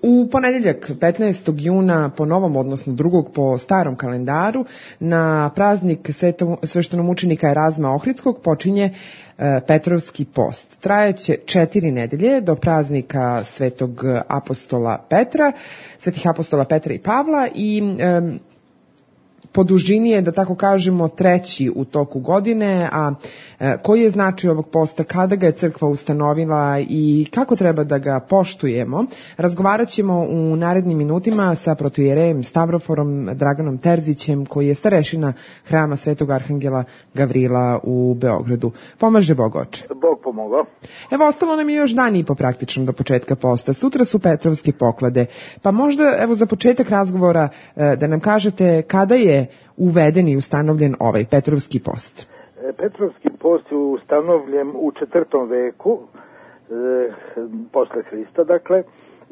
U ponedeljak 15. juna po novom, odnosno 2. po starom kalendaru, na praznik sveštenomučenika Erazma Ohridskog počinje Petrovski post. Trajeće 4 nedelje do praznika svetih apostola Petra i Pavla i po dužini je, da tako kažemo, 3. u toku godine, a koji je značaj ovog posta, kada ga je crkva ustanovila i kako treba da ga poštujemo, razgovarat ćemo u narednim minutima sa protoijerejem Stavroforom Draganom Terzićem, koji je starešina hrama Svetog Arhangela Gavrila u Beogradu. Pomaže Bog, oče. Bog pomogao. Evo, ostalo nam je još dan i po praktično do početka posta. Sutra su Petrovske poklade, pa možda, evo, za početak razgovora da nam kažete kada je uveden i ustanovljen ovaj Petrovski post. Petrovski post je ustanovljen u 4. veku posle Hrista, dakle,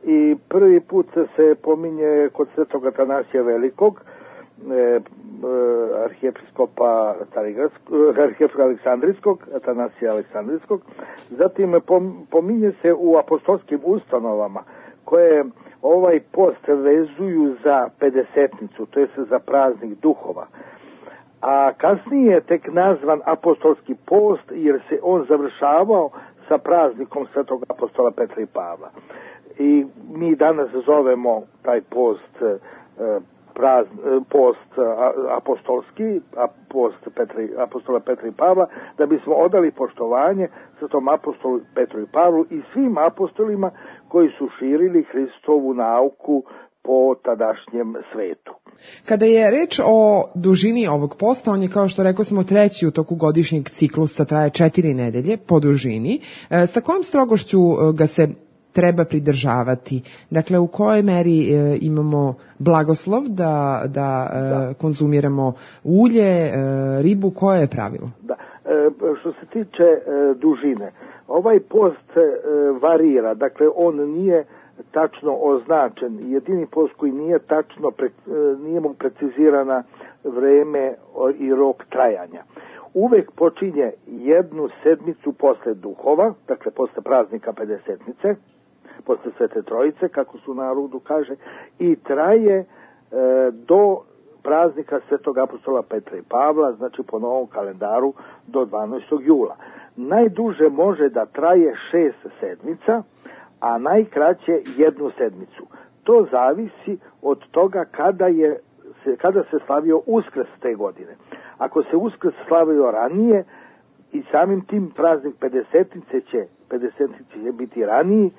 i prvi put se pominje kod svetog Atanasija Velikog, arhijepiskopa Aleksandrijskog, Atanasija Aleksandrijskog. Zatim pominje se u apostolskim ustanovama koje ovaj post vezuju za pedesetnicu, to je za praznik duhova. A kasnije je tek nazvan apostolski post jer se on završavao sa praznikom svetog apostola Petra i Pavla. I mi danas zovemo taj post apostolski, post apostola Petra i Pavla, da bismo odali poštovanje svetom apostolu Petru i Pavlu i svim apostolima koji su širili Hristovu nauku po tadašnjem svetu. Kada je reč o dužini ovog posta, on je, kao što rekao smo, 3. u toku godišnjeg ciklusa, traje 4 nedelje po dužini. Sa kojom strogošću ga se treba pridržavati? Dakle, u kojoj meri imamo blagoslov da konzumiramo ulje, ribu, koje je pravilo? Da. Što se tiče dužine, ovaj post varira, dakle on nije tačno označen. Jedini post koji nije tačno, nije mu precizirana vreme i rok trajanja. Uvek počinje 1 sedmicu posle duhova, dakle posle praznika pedesetnice, posle Svete Trojice, kako su narodu kaže, i traje do praznika Svetog apostola Petra i Pavla, znači po novom kalendaru do 12. jula. Najduže može da traje 6 sedmica, a najkraće 1 sedmicu. To zavisi od toga kada se slavio Uskrs te godine. Ako se Uskrs slavio ranije i samim tim praznik pedesetnice će biti raniji,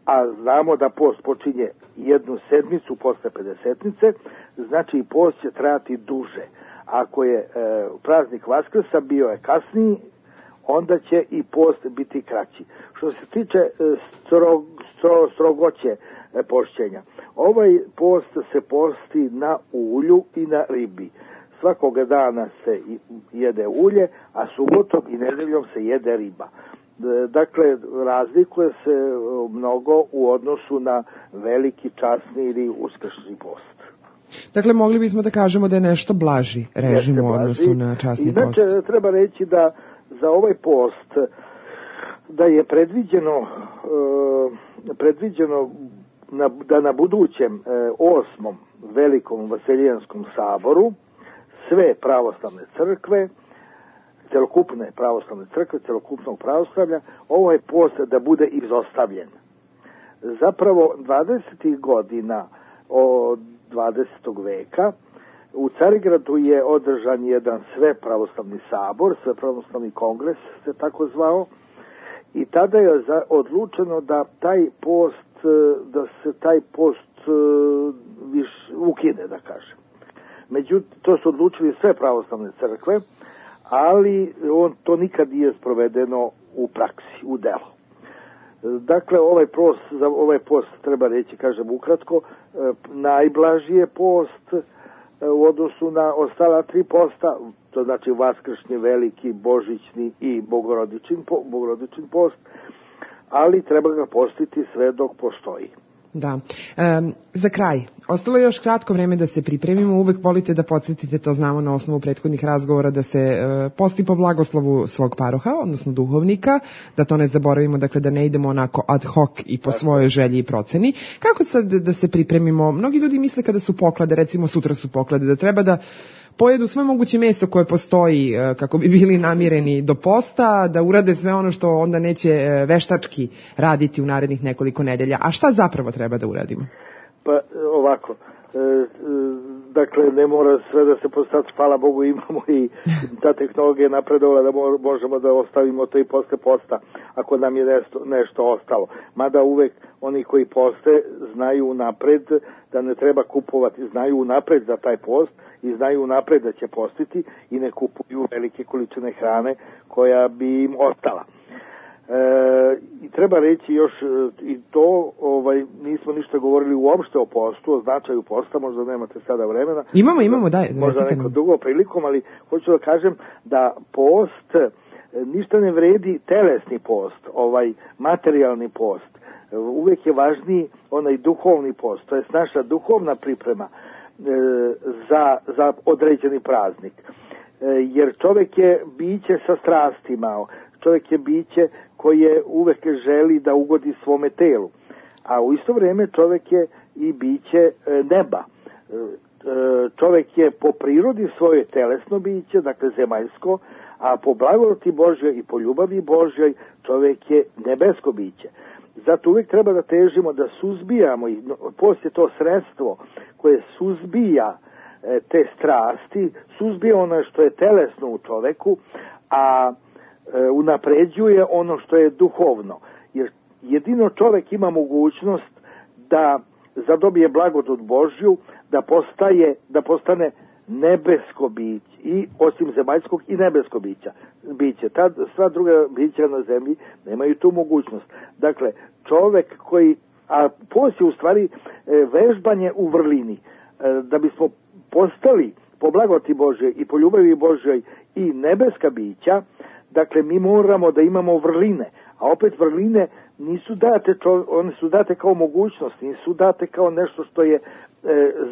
a znamo da post počinje 1 sedmicu posle pedesetnice, znači i post će trajati duže. Ako je praznik Vaskrsa bio je kasniji, onda će i post biti kraći. Što se tiče strogoće pošćenja, ovaj post se posti na ulju i na ribi. Svakoga dana se jede ulje, a subotom i nedeljom se jede riba. Dakle, razlikuje se mnogo u odnosu na veliki časni ili uskršnji post. Dakle, mogli bismo da kažemo da je nešto blaži režim u odnosu na časni post. Inače, treba reći da za ovaj post da je predviđeno da na budućem 8. velikom Vaseljanskom saboru sve pravoslavne crkve, celokupne pravoslavne crkve, celokupnog pravoslavlja, ovaj post da bude izostavljen. Zapravo 20. godina od 20. veka u Carigradu je održan jedan svepravoslavni sabor, svepravoslavni kongres se tako zvao, i tada je odlučeno da se taj post ukine, da kažem. Međutim, to su odlučili sve pravoslavne crkve, ali to nikad nije sprovedeno u praksi, u delo. Dakle, za ovaj post treba reći, kažem ukratko, najblaži je post u odnosu na ostala 3 posta, to znači vaskršnji, veliki, božićni i bogorodični post, ali treba ga postiti sve dok postoji. Da. Za kraj, ostalo je još kratko vreme da se pripremimo. Uvek volite da podsjetite, to znamo na osnovu prethodnih razgovora, da se posti po blagoslovu svog paroha, odnosno duhovnika, da to ne zaboravimo, dakle da ne idemo onako ad hoc i po svojoj želji i proceni. Kako sad da se pripremimo? Mnogi ljudi misle kada su poklade, recimo sutra su poklade, da treba da pojedu sve moguće meso koje postoji kako bi bili namireni do posta, da urade sve ono što onda neće veštački raditi u narednih nekoliko nedelja. A šta zapravo treba da uradimo? Pa ovako, dakle ne mora sve da se postati, hvala Bogu imamo i ta tehnologija je napredovala da možemo da ostavimo to i posle posta ako nam je nešto ostalo. Mada uvek oni koji poste znaju unapred da ne treba kupovati, znaju unapred za taj post i znaju unapred da će postiti i ne kupuju velike količine hrane koja bi im ostala. I treba reći još i to, nismo ništa govorili uopšte o postu, o značaju posta, možda nemate sada vremena. Imamo, daj. Možda neko drugo prilikom, ali hoću da kažem da post ništa ne vredi telesni post, materijalni post. Uvek je važniji onaj duhovni post, to je naša duhovna priprema za određeni praznik. Jer čovjek je biće sa strastima, čovjek je biće koje uvek želi da ugodi svome telu, a u isto vrijeme čovjek je i biće neba. Čovjek je po prirodi svoje telesno biće, dakle zemaljsko, a po blagodati Božjoj i po ljubavi Božjoj čovjek je nebesko biće. Zato uvijek treba da težimo da suzbijamo, i poslije to sredstvo koje suzbija te strasti, suzbija ono što je telesno u čoveku, a unapređuje ono što je duhovno. Jer jedino čovjek ima mogućnost da zadobije blagodat Božju, da postane nebesko biće, i osim zemaljskog i nebesko biće. Sva druga bića na zemlji nemaju tu mogućnost. Dakle, čovjek a poslije u stvari vežbanje u vrlini, da bismo postali po blagodati Božjoj i po ljubavi Božjoj i nebeska bića, dakle mi moramo da imamo vrline, a opet vrline nisu date, one su date kao mogućnost, nisu date kao nešto što je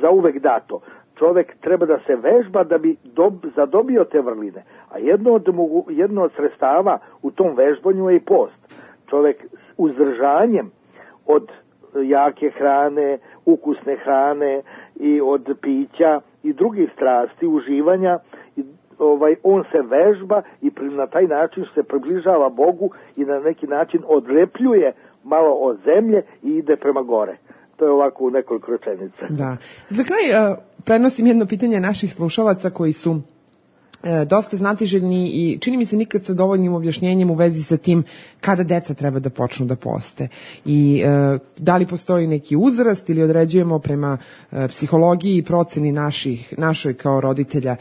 zauvek dato. Čovjek treba da se vežba da bi zadobio te vrline, a jedno od sredstava u tom vežbanju je i post. Čovjek uzdržanjem od jake hrane, ukusne hrane i od pića i drugih strasti, uživanja, on se vežba i na taj način se približava Bogu i na neki način odlepljuje malo od zemlje i ide prema gore. To je ovako u nekoliko rečenica. Da. Za kraj prenosim jedno pitanje naših slušalaca koji su dosta znatiželjni i čini mi se nikad sa dovoljnim objašnjenjem u vezi sa tim kada deca treba da počnu da poste. I da li postoji neki uzrast ili određujemo prema psihologiji i proceni našoj kao roditelja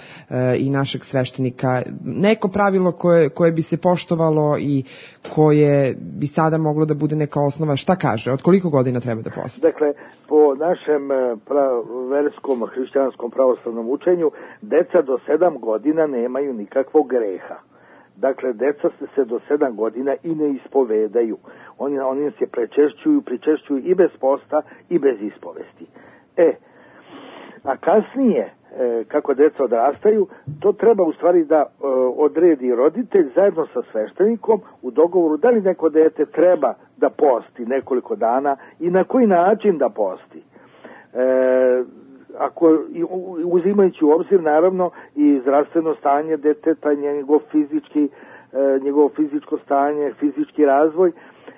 i našeg sveštenika neko pravilo koje bi se poštovalo i koje bi sada moglo da bude neka osnova. Šta kaže? Od koliko godina treba da poste? Dakle, po našem verskom hrišćanskom pravoslavnom učenju, deca do 7 godina nemaju nikakvog greha. Dakle, deca se do 7 godina i ne ispovedaju. Oni se pričešćuju i bez posta i bez ispovesti. A kasnije, kako deca odrastaju, to treba u stvari da odredi roditelj zajedno sa sveštenikom u dogovoru da li neko dete treba da posti nekoliko dana i na koji način da posti. Ako uzimajući u obzir naravno i zdravstveno stanje deteta, njegovo fizičko stanje, fizički razvoj,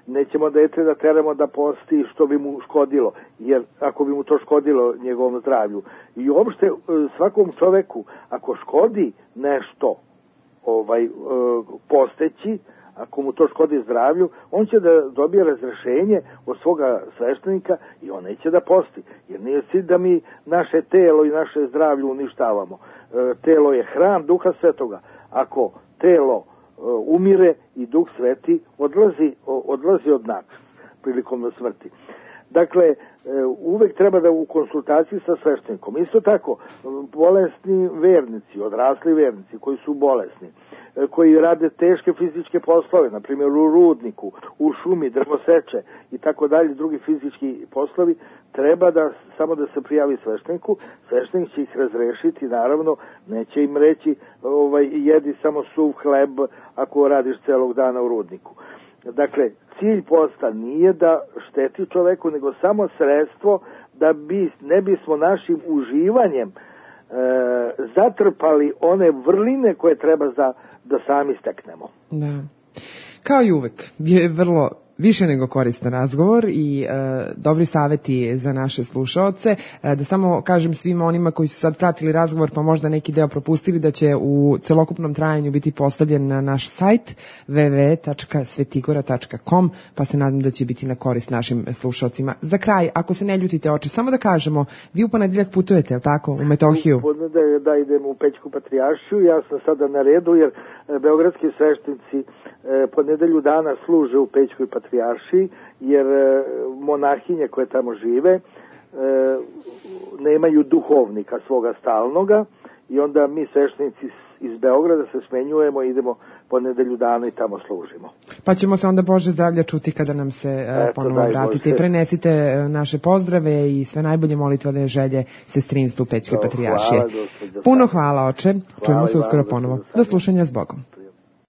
nećemo dete da teramo da posti što bi mu škodilo, jer ako bi mu to škodilo njegovom zdravlju. I uopšte svakom čoveku ako škodi nešto posteći, ako mu to škodi zdravlju, on će da dobije razrešenje od svoga sveštenika i on neće da posti. Jer nije cilj da mi naše telo i naše zdravlje uništavamo. Telo je hram Duha Svetoga. Ako telo umire i Duh Sveti odlazi od nas prilikom smrti. Dakle, uvek treba da u konsultaciji sa sveštenikom. Isto tako, bolesni vernici, odrasli vernici koji su bolesni, koji rade teške fizičke poslove, na primjer u rudniku, u šumi, drvoseče i tako dalje, drugi fizički poslovi, treba da samo da se prijavi svešteniku, sveštenik će ih razrešiti, naravno, neće im reći jedi samo suv hleb ako radiš celog dana u rudniku. Dakle, cilj posta nije da šteti čoveku, nego samo sredstvo da ne bismo našim uživanjem zatrpali one vrline koje treba da sami steknemo. Da. Kao i uvek, je vrlo više nego koristan razgovor i dobri saveti za naše slušaoce. Da samo kažem svima onima koji su sad pratili razgovor pa možda neki deo propustili, da će u celokupnom trajanju biti postavljen na naš sajt www.svetigora.com, pa se nadam da će biti na korist našim slušaocima. Za kraj, ako se ne ljutite oče, samo da kažemo, vi u ponedeljak putujete, je li tako, u Metohiju? Da idem u Pećku patrijaršiju, ja sam sada na redu jer beogradski sveštenici po nedelju dana služe u Pećkoj patrijaršiji, jer monahinje koje tamo žive nemaju duhovnika svoga stalnoga i onda mi sveštenici iz Beograda se smenjujemo i idemo po nedelju dana i tamo služimo. Pa ćemo se onda Bože zdravlja čuti kada nam se ponovo vratite i prenesite naše pozdrave i sve najbolje molitvene želje sestrinstvu Pećke patrijaršije. Puno hvala oče, čujemo se uskoro ponovo. Do slušanja, s Bogom.